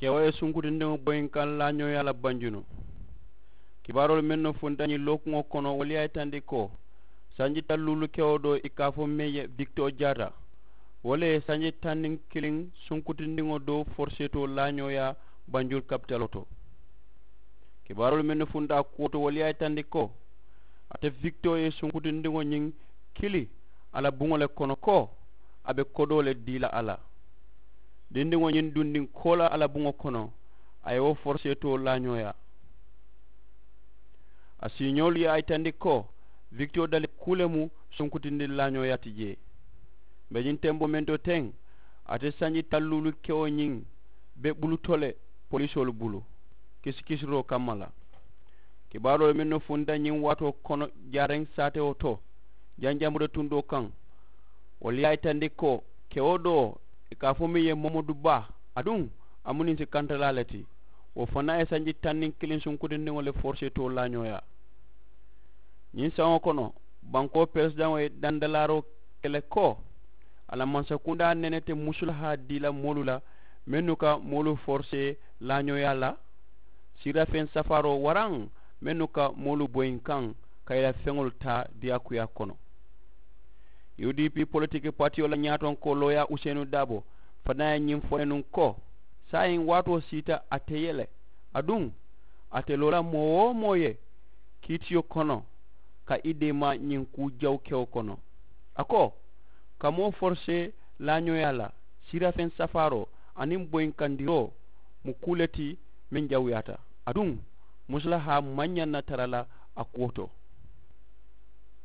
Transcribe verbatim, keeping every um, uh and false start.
kewo ye sunkutindiŋo boyinkaŋ laañooyaa la banjunu. Kibaaroolu mennu funta ñiŋ lookuŋo kono wolu ye a yitandi ko sanji talluulu kewo doo i ka a fo meŋ ye vikitoo jaata, wo le ye sanji taŋ niŋ kiliŋ sunkutindiŋo doo foroseetoo laañooyaa banjulu kapitaloo to. Kibaaroolu mennu funta a kuwo to wolu ye a yitandi ko ate vikitoo ye sunkutindiŋo ñiŋ kili a la buŋo le kono ko a be kodoo le dii la a la. Dindiŋo ñiŋ dundiŋ koo la a la buŋo kono a ye wo foroseetoo laañooyaa. A siiñoolu ye a yitandi ko vikitoo dali kuu le mu sunkutindi laañooyaa ti jee. Mbe ñiŋ temboo meŋ to teŋ ate sanji talluulu kewo ñiŋ be buluto le polisoolu bulu kisikisiroo kamma la. Kibaaroolu mennu funta ñiŋ waatoo kono jaareŋ saatewo to janjambuda tundoo kaŋ wolu ye a yitandi ko kewo doo i ka a fo meŋ ye momadu baa aduŋ a mu niŋ si kantalaa le ti. Wo fanaa ye sanji taŋ niŋ kiliŋ sunkutindiŋo le foroseetoo laañooyaa. Ñiŋ saŋo kono bankoo peresidaŋo ye dandalaaroo ke le ko a la mansakundaa nene te musulahaa dii la moolu la mennu ka moolu forosee laañooyaa la siirafeŋ safaaroo waraŋ mennu ka moolu boyinkaŋ ka i la feŋolu taa diyaakuyaa kono. U d p politiki patiyo la ñaatonkoo looyaa useenu daabo fanaa ye ñiŋ fo le nuŋ ko saayiŋ waatoo siita ate ye le aduŋ ate loo la moo-wo-moo ye kiitiyo kono ka i deemaa ñiŋ kuu jawukewo kono. A ko ka moo forosee laañooyaa la siirafeŋ safaaroo aniŋ boyinkandiroo mu kuu le ti meŋ jawuyaata aduŋ musulahaa maŋ ñaŋ na tara la a kuwo to.